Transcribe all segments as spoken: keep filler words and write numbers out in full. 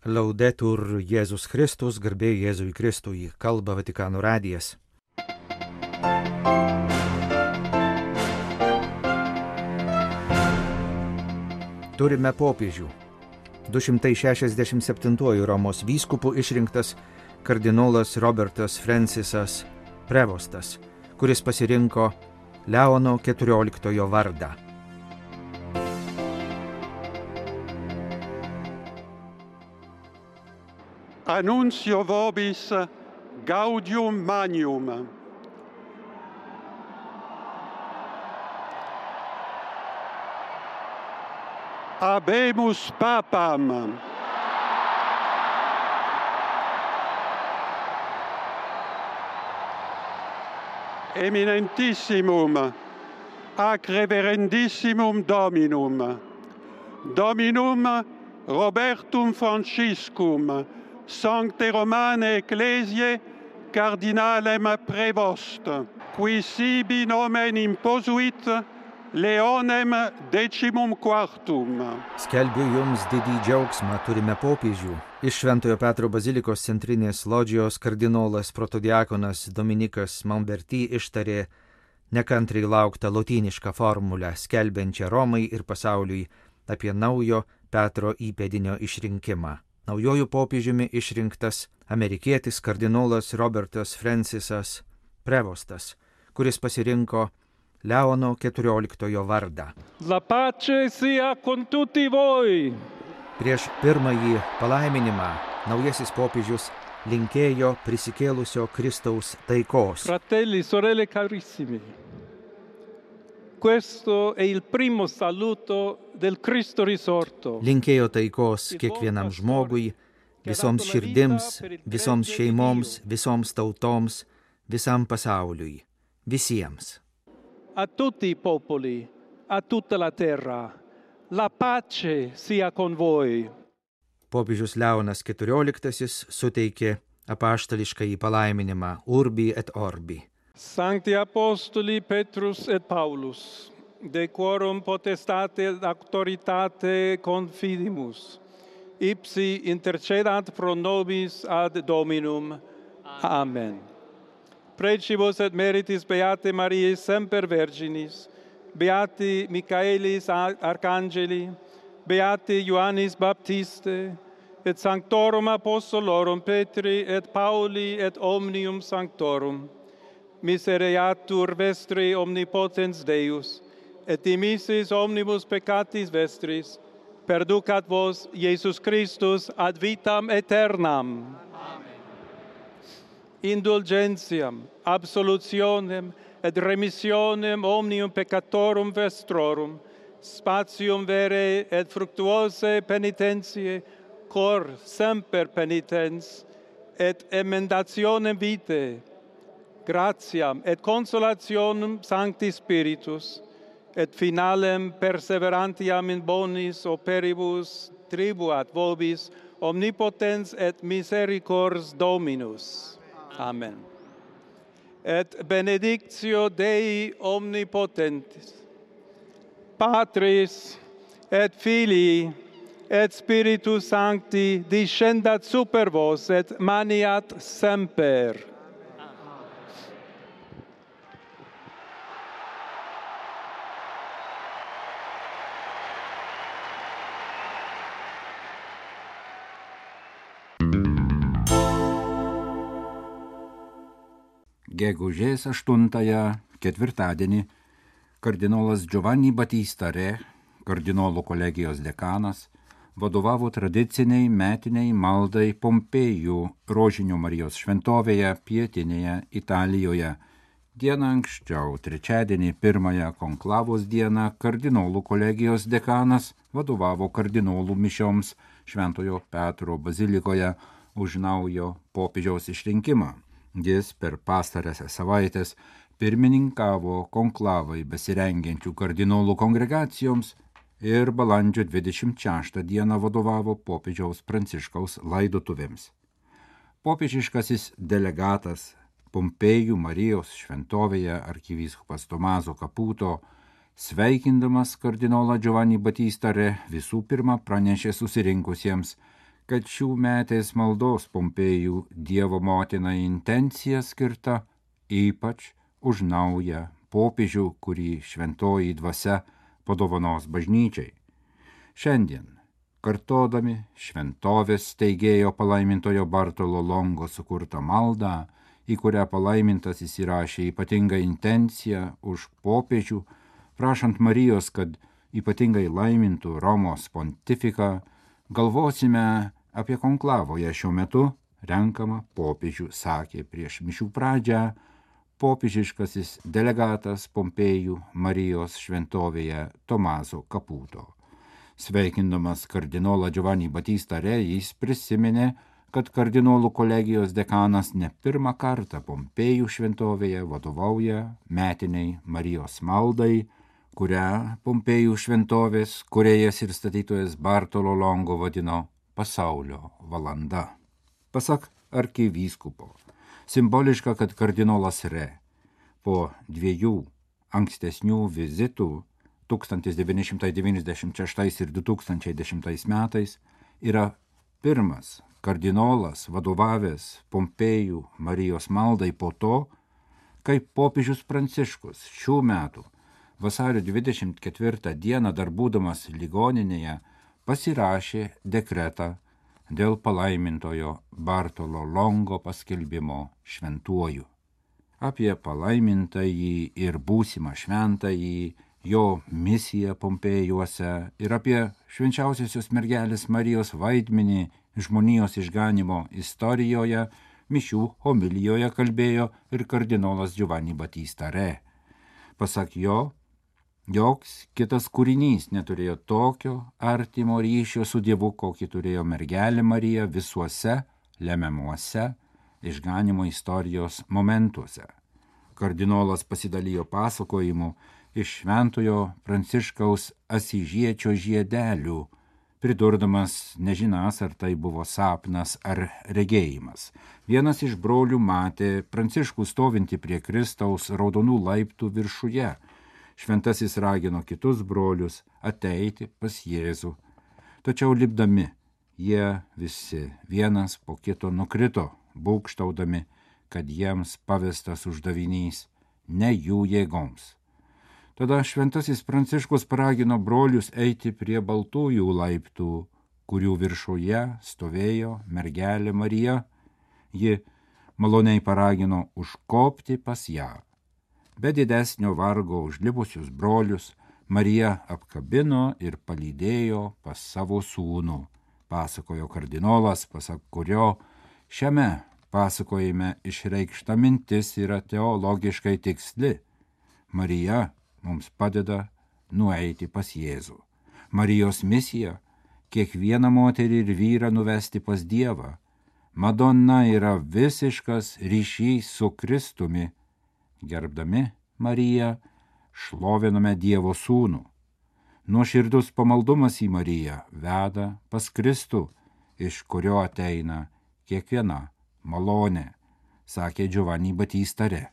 Laudetur Jėzus Kristus, garbė Jėzui Kristui, kalba Vatikano radijas. Turime popiežių. du šimtai šešiasdešimt septintuoju Romos vyskupu išrinktas kardinolas Robertas Francisas Prevostas, kuris pasirinko Leono keturioliktojo vardą. Annuncio vobis gaudium magnum. Habemus papam. Eminentissimum, ac reverendissimum Dominum, Dominum Robertum Franciscum, Sancte Romane Ecclesiae cardinalem prevost, qui sibi nomen imposuit Leonem decimum quartum. Skelbiu jums didį džiaugsmą, turime popiežių. Iš Šventojo Petro bazilikos centrinės lodžijos kardinolas protodiakonas Dominikas Mamberty ištarė nekantriai lauktą lotynišką formulę, skelbiančią Romai ir pasauliui apie naujo Petro įpėdinio išrinkimą. Naujojų popiežiumi išrinktas amerikietis kardinolas Robertas Francisas Prevostas, kuris pasirinko Leono keturioliktojo vardą. La pace sia con tutti voi. Prieš pirmąjį palaiminimą naujasis popiežius linkėjo prisikėlusio Kristaus taikos. Fratelli, sorelle carissimi, questo è il primo saluto del Cristo risorto. Linkėjo taikos kiekvienam žmogui, visoms širdims, visoms šeimoms, visoms tautoms, visam pasauliui, visiems. A tutti i popoli, a tutta la terra, la pace sia con voi. Popiežius Leonas keturioliktasis suteikė apaštališkąjį palaiminimą Urbi et Orbi. Sancti Apostoli Petrus et Paulus, de quorum potestate et auctoritate confidimus, ipsi intercedant pro nobis ad Dominum. Amen. Precibus et meritis Beate Mariae semper Virginis, Beati Michaelis Arcangeli, Beati Ioannis Baptiste, et Sanctorum Apostolorum Petri et Pauli et omnium Sanctorum, misereatur vestri omnipotens Deus, et dimissis omnibus peccatis vestris, perducat vos Iesus Christus ad vitam aeternam. Indulgentiam, absolutionem et remissionem omnium peccatorum vestrorum, spatium vere et fructuose penitentiae, cor semper penitens, et emendationem vitae, gratiam et consolationem Sancti Spiritus, et finalem perseverantiam in bonis operibus tribuat vobis omnipotens et misericors Dominus. Amen. Et benedictio Dei omnipotentis, Patris et Filii et Spiritus Sancti descendat super vos et maniat semper. Gegužės aštuntąją, ketvirtadienį, kardinolas Giovanni Battista Re, kardinolų kolegijos dekanas, vadovavo tradiciniai metiniai maldai Pompėjų Rožinio Marijos šventovėje pietinėje Italijoje. Dieną anksčiau, trečiadienį, pirmąją konklavos dieną, kardinolų kolegijos dekanas vadovavo kardinolų mišioms Šventojo Petro bazilikoje už naujo popiežiaus išrinkimą. Jis per pastarąsias savaitės pirmininkavo konklavai besirengiančių kardinolų kongregacijoms ir balandžio dvidešimt šeštą dieną vadovavo popiežiaus Pranciškaus laidotuvėms. Popiežiškasis delegatas Pompėjų Marijos šventovėje arkivyskupas Tomaso Caputo, sveikindamas kardinolą Giovanni Battista Re, visų pirma pranešė susirinkusiems, kad šių metės maldos Pompėjų Dievo motinai intencija skirta ypač už naują popiežių, kurį šventoji dvasia padovanos bažnyčiai. Šiandien, kartodami šventovės steigėjo palaimintojo Bartolo Longo sukurtą maldą, į kurią palaimintas įsirašė ypatingą intenciją už popiežių, prašant Marijos, kad ypatingai laimintų Romos pontifiką, galvosime apie konklavoje šiuo metu renkamą popiežių, sakė prieš mišių pradžią popiežiškasis delegatas Pompėjų Marijos šventovėje Tomaso Caputo. Sveikindamas kardinolą Giovanni Battista Re, jis prisiminė, kad kardinolų kolegijos dekanas ne pirmą kartą Pompėjų šventovėje vadovauja metiniai Marijos maldai, kurią Pompėjų šventovės kūrėjas ir statytojas Bartolo Longo vadino pasaulio valanda. Pasak arkivyskupo, simboliška, kad kardinolas Re po dviejų ankstesnių vizitų tūkstantis devyni šimtai devyniasdešimt šeštais ir du tūkstančiai dešimtais metais yra pirmas kardinolas vadovavęs Pompėjų Marijos maldai po to, kai popiežius Pranciškus šių metų vasario dvidešimt ketvirtą dieną dar būdamas ligoninėje pasirašė dekretą dėl palaimintojo Bartolo Longo paskelbimo šventuoju. Apie palaimintąjį ir būsimą šventąjį, jo misiją Pompėjuose ir apie švenčiausiosios mergelės Marijos vaidmenį žmonijos išganymo istorijoje mišių homilijoje kalbėjo ir kardinolas Giovanni Battista Re. Pasak jo, joks kitas kūrinys neturėjo tokio artimo ryšio su Dievu, kokį turėjo mergelė Marija visuose lemiamuose išganymo istorijos momentuose. Kardinolas pasidalijo pasakojimu iš šventojo Pranciškaus Asyžiečio žiedelių, pridurdamas nežinas, ar tai buvo sapnas ar regėjimas. Vienas iš brolių matė Pranciškų stovintį prie Kristaus raudonų laiptų viršuje. Šventasis ragino kitus brolius ateiti pas Jėzų. Tačiau lipdami, jie visi vienas po kito nukrito, būgštaudami, kad jiems pavestas uždavinys ne jų jėgoms. Tada šventasis Pranciškus paragino brolius eiti prie baltųjų laiptų, kurių viršuje stovėjo mergelė Marija. Ji maloniai paragino užkopti pas ją. Be didesnio vargo užlipusius brolius Marija apkabino ir palydėjo pas savo sūnų, pasakojo kardinolas, pasak kurio šiame pasakojime išreikšta mintis yra teologiškai tiksli. Marija mums padeda nueiti pas Jėzų. Marijos misija – kiekvieną moterį ir vyrą nuvesti pas Dievą. Madonna yra visiškas ryšys su Kristumi. Gerbdami Mariją, šloviname Dievo sūnų. Nuoširdus pamaldumas į Mariją veda pas Kristų, iš kurio ateina kiekviena malonė, sakė Giovanni Battista Re.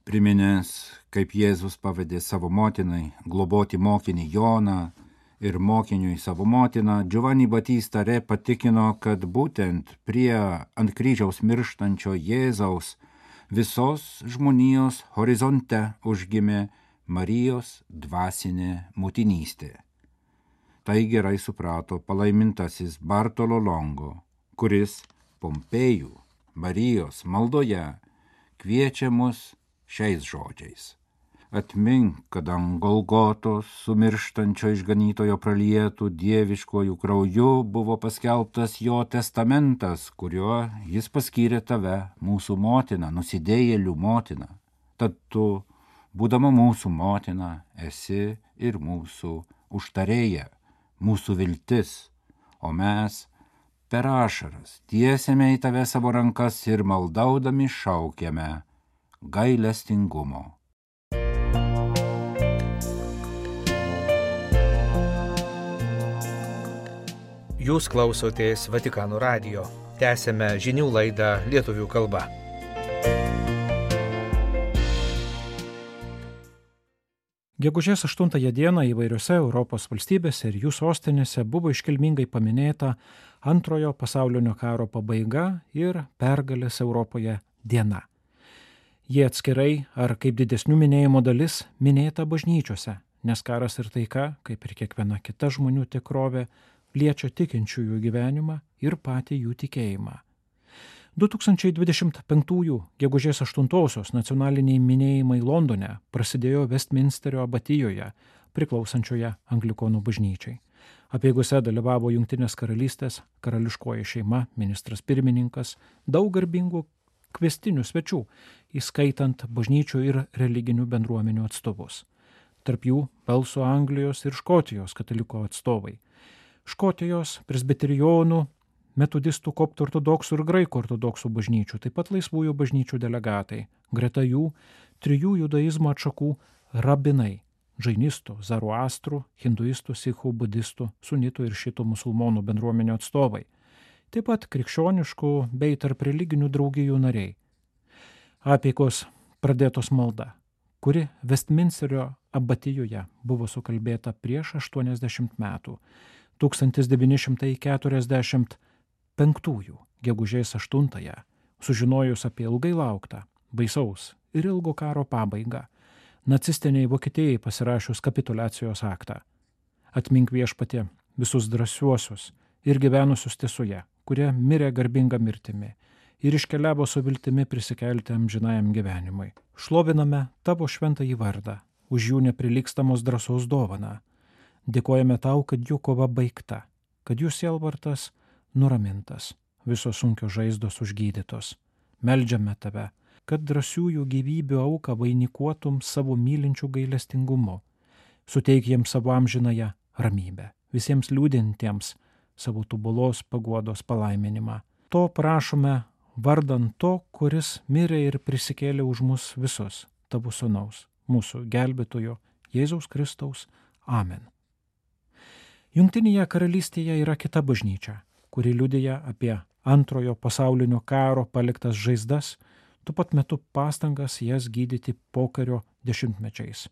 Priminęs, kaip Jėzus pavedė savo motinai globoti mokinį Joną ir mokiniui savo motiną, Giovanni Battista Re patikino, kad būtent prie ant kryžiaus mirštančio Jėzaus visos žmonijos horizonte užgimė Marijos dvasinė motinystė. Tai gerai suprato palaimintasis Bartolo Longo, kuris Pompėjų Marijos maldoje kviečia mus šiais žodžiais. Atmink, kad ant Golgotos sumirštančio išganytojo pralietų dieviškojų krauju buvo paskelbtas jo testamentas, kuriuo jis paskyrė tave, mūsų motina, nusidėjėlių motina. Tad tu, būdama mūsų motina, esi ir mūsų užtarėja, mūsų viltis, o mes per ašaras tiesiame į tave savo rankas ir maldaudami šaukiame gailestingumo. Jūs klausotės Vatikano radijo. Tęsėme žinių laidą lietuvių kalba. Gegužės aštuntąją dieną įvairiose Europos valstybėse ir jų sostinėse buvo iškilmingai paminėta antrojo pasaulinio karo pabaiga ir pergalės Europoje diena. Jie atskirai ar kaip didesnių minėjimo dalis minėta bažnyčiose, nes karas ir taika, kaip ir kiekviena kita žmonių tikrovė, liečia tikinčiųjų gyvenimą ir patį jų tikėjimą. du tūkstančiai dvidešimt penktųjų gegužės aštuntosios nacionaliniai minėjimai Londone prasidėjo Westminsterio abatijoje, priklausančioje Anglikonų bažnyčiai. Apeigose dalyvavo Jungtinės karalystės karališkoji šeima, ministras pirmininkas, daug garbingų kvestinių svečių, įskaitant bažnyčių ir religinių bendruomenių atstovus. Tarp jų Velso, Anglijos ir Škotijos kataliko atstovai. Škotijos, presbiterijonų, metodistų, koptų ortodoksų ir graikų ortodoksų bažnyčių, taip pat laisvųjų bažnyčių delegatai, greta jų trijų judaizmo atšakų rabinai – džainistų, zaruastrų, hinduistų, sikhų, budistų, sunitų ir šitų musulmonų bendruomenių atstovai, taip pat krikščioniškų bei tarp religinių draugijų nariai. Apeigos pradėtos malda, kuri Westminsterio abatijoje buvo sukalbėta prieš aštuoniasdešimt metų, tūkstantis devyni šimtai keturiasdešimt penktųjų gegužės aštuntąją, sužinojus apie ilgai lauktą, baisaus ir ilgo karo pabaigą, nacistiniai Vokietijai pasirašius kapituliacijos aktą. Atmink Viešpatie visus drąsiuosius ir gyvenusius tiesoje, kurie mirė garbingą mirtimi ir iškeliavo su viltimi prisikelti amžinajam gyvenimui. Šloviname tavo šventąjį vardą, už jų neprilygstamos drąsos dovaną. Dėkojame tau, kad jų kova baigta, kad jų sielvartas nuramintas, visos sunkios žaizdos užgydytos. Meldžiame tave, kad drąsiųjų gyvybių auką vainikuotum savo mylinčių gailestingumu. Suteik jiems savo amžinąją ramybę, visiems liūdintiems savo tobulos paguodos palaiminimą. To prašome vardant to, kuris mirė ir prisikėlė už mus visus, tavo sūnaus, mūsų gelbėtojo, Jėzaus Kristaus. Amen. Jungtinėje karalystėje yra kita bažnyčia, kuri liudija apie antrojo pasaulinio karo paliktas žaizdas, tuo pat metu pastangas jas gydyti pokario dešimtmečiais.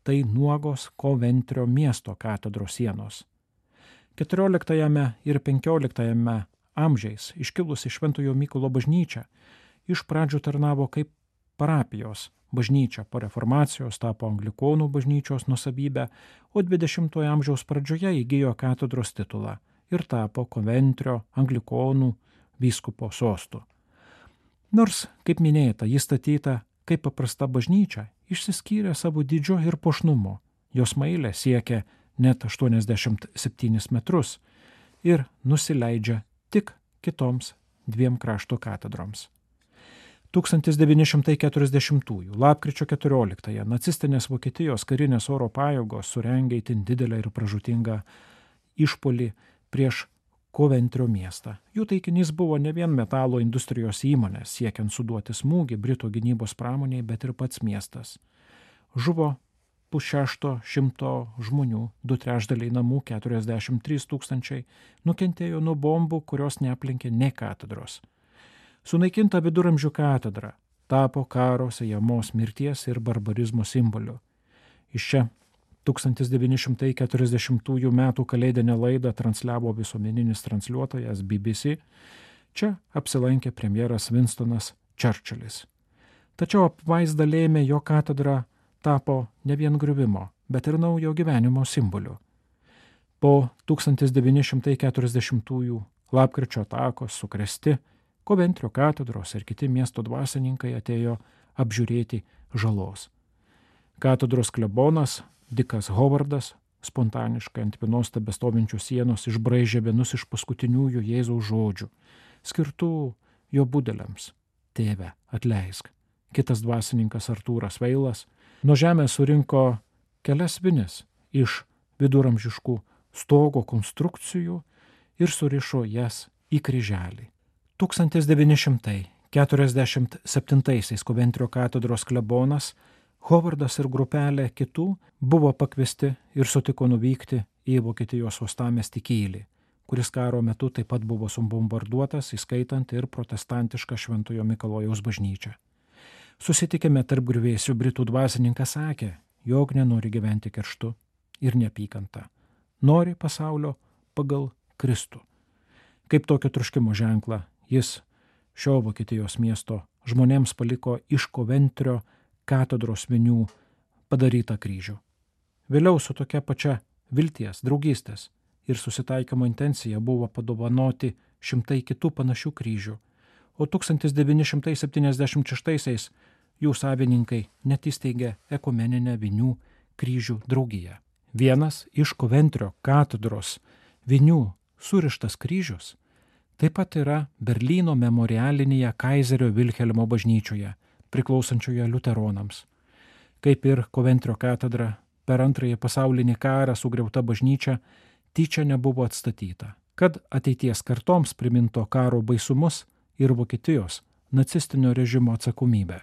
Tai nuogos Koventrio miesto katedros sienos. keturioliktajame ir penkioliktajame amžiais iškilusi Šventojo Mykolo bažnyčia iš pradžių tarnavo kaip parapijos bažnyčia, po reformacijos tapo Anglikonų bažnyčios nusavybė, o dvidešimtojo amžiaus pradžioje įgijo katedros titulą ir tapo Koventrio Anglikonų vyskupo sostu. Nors, kaip minėta, jis statyta kaip paprasta bažnyčia, išsiskyrė savo dydžiu ir puošnumu. Jos mailė siekia net aštuoniasdešimt septynis metrus ir nusileidžia tik kitoms dviem krašto katedroms. tūkstantis devyni šimtai keturiasdešimtųjų lapkričio keturioliktąją nacistinės Vokietijos karinės oro pajėgos surengė itin didelę ir pražūtingą išpuolį prieš Koventrio miestą. Jų taikinys buvo ne vien metalo industrijos įmonės, siekiant suduoti smūgį Britų gynybos pramoniai, bet ir pats miestas. Žuvo pusšešto šimto žmonių, du trečdaliai namų, keturiasdešimt trys tūkstančiai, nukentėjo nuo bombų, kurios neaplinkė ne katedros. Sunaikinta viduramžių katedra tapo karo sejamos mirties ir barbarizmo simboliu. Iš čia tūkstantis devyni šimtai keturiasdešimtųjų metų kalėdinę laidą transliavo visuomeninis transliuotojas B B C. Čia apsilankė premjeras Winstonas Churchillis. Tačiau apvaizda lėmė, jo katedra tapo ne vien griuvimo, bet ir naujo gyvenimo simboliu. Po tūkstantis devyni šimtai keturiasdešimtųjų lapkričio atakos sukrėsti, Koventrio katedros ir kiti miesto dvasininkai atėjo apžiūrėti žalos. Katedros klebonas Dikas Hovardas spontaniškai ant vienos tebestovinčių sienos išbraižė vienus iš paskutiniųjų Jėzaus žodžių, skirtų jo budeliams: Tėve, atleisk. Kitas dvasininkas Artūras Veilas nuo žemės surinko kelias vinis iš viduramžiškų stogo konstrukcijų ir surišo jas į kryželį. tūkstantis devyni šimtai keturiasdešimt septintaisiais Koventrio katedros klebonas Hovardas ir grupelė kitų buvo pakviesti ir sutiko nuvykti į Vokietijos uostamiestį Kylį, kuris karo metu taip pat buvo subombarduotas, įskaitant ir protestantišką Šventojo Mikalojaus bažnyčią. Susitikime tarp griuvėsių britų dvasininkas sakė, jog nenori gyventi kerštu ir neapykanta, nori pasaulio pagal Kristų. Kaip tokio troškimo ženklą jis šio Vokietijos miesto žmonėms paliko iš Koventrio katedros vinių padarytą kryžių. Vėliau su tokia pačia vilties, draugystės ir susitaikymo intencija buvo padovanoti šimtai kitų panašių kryžių, o tūkstantis devyni šimtai septyniasdešimt šeštaisiais jų savininkai net įsteigė ekumeninę vinių kryžių draugiją. Vienas iš Koventrio katedros vinių surištas kryžius taip pat yra Berlyno memorialinėje Kaizerio Vilhelmo bažnyčioje, priklausančioje liuteronams. Kaip ir Koventrio katedra, per antrąjį pasaulinį karą sugriauta bažnyčia tyčia nebuvo atstatyta, kad ateities kartoms priminto karo baisumus ir Vokietijos nacistinio režimo atsakomybę.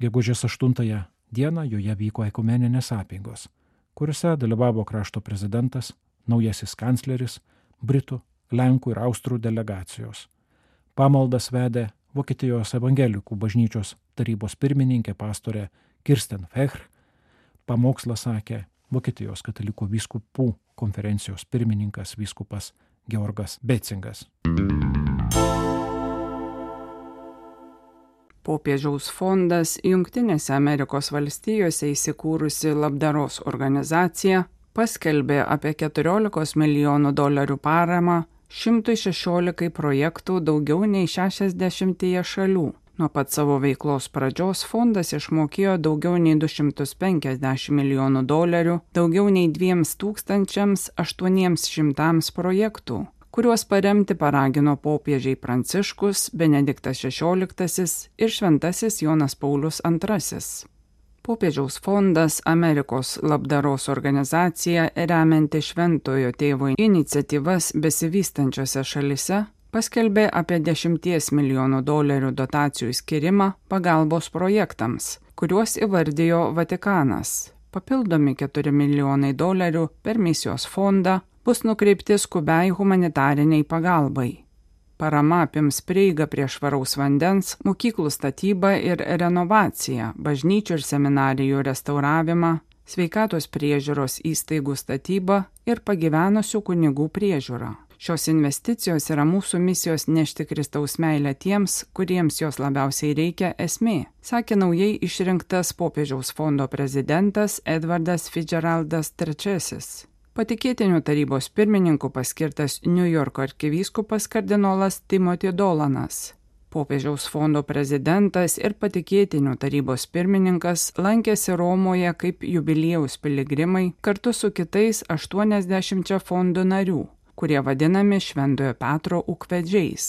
Gegužės aštuntąją dieną joje vyko ekumeninės apeigos, kuriuose dalyvavo krašto prezidentas, naujasis kancleris, Britų, Lenkų ir Austrų delegacijos. Pamaldas vedė Vokietijos evangelikų bažnyčios tarybos pirmininkė pastorė Kirsten Fechr, pamokslą sakė Vokietijos katalikų vyskupų konferencijos pirmininkas vyskupas Georgas Becingas. Popiežiaus fondas Jungtinėse Amerikos valstijose įsikūrusi labdaros organizacija paskelbė apie keturiolikos milijonų dolerių paramą šimtui šešiolikai projektų daugiau nei šešiasdešimtyje šalių. Nuo pat savo veiklos pradžios fondas išmokėjo daugiau nei du šimtus penkiasdešimt milijonų dolerių, daugiau nei dviems tūkstančiams aštuoniems šimtams projektų, kuriuos paremti paragino popiežiai Pranciškus, Benediktas šešioliktasis ir Šventasis Jonas Paulius antrasis. Popiežiaus fondas Amerikos labdaros organizacija, remianti Šventojo tėvo iniciatyvas besivystančiose šalise, paskelbė apie dešimties milijonų dolerių dotacijų skirimą pagalbos projektams, kuriuos įvardijo Vatikanas. Papildomi keturi milijonai dolerių per misijos fondą bus nukreipti skubiai humanitariniai pagalbai. Parama apims prieigą prie švaraus vandens, mokyklų statybą ir renovaciją, bažnyčių ir seminarijų restauravimą, sveikatos priežiūros įstaigų statybą ir pagyvenusių kunigų priežiūrą. Šios investicijos yra mūsų misijos nešti Kristaus meilę tiems, kuriems jos labiausiai reikia esmė, sakė naujai išrinktas popiežiaus fondo prezidentas Edvardas Fitzgeraldas trečiasis. Patikėtinių tarybos pirmininku paskirtas New Yorko arkivyskupas kardinolas Timothy Dolanas. Popiežiaus fondo prezidentas ir patikėtinių tarybos pirmininkas lankėsi Romoje kaip jubiliejaus piligrimai kartu su kitais aštuoniasdešimčia fondo narių, kurie vadinami Šventojo Petro ūkvedžiais.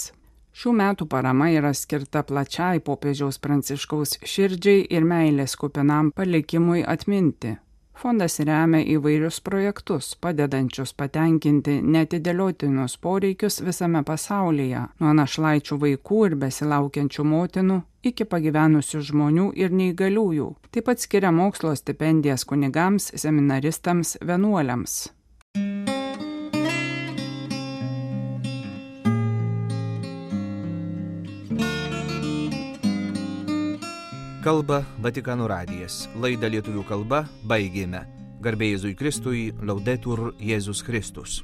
Šių metų parama yra skirta plačiai popiežiaus Pranciškaus širdžiai ir meilės kupinam palikimui atminti. Fondas remia įvairius projektus, padedančius patenkinti neatidėliotinus poreikius visame pasaulyje, nuo našlaičių vaikų ir besilaukiančių motinų iki pagyvenusių žmonių ir neįgaliųjų. Taip pat skiria mokslo stipendijas kunigams, seminaristams, vienuoliams. Kalba Vatikano radijas. Laidą lietuvių kalba baigėme. Garbė Jėzui Kristui, Laudetur Jėzus Kristus.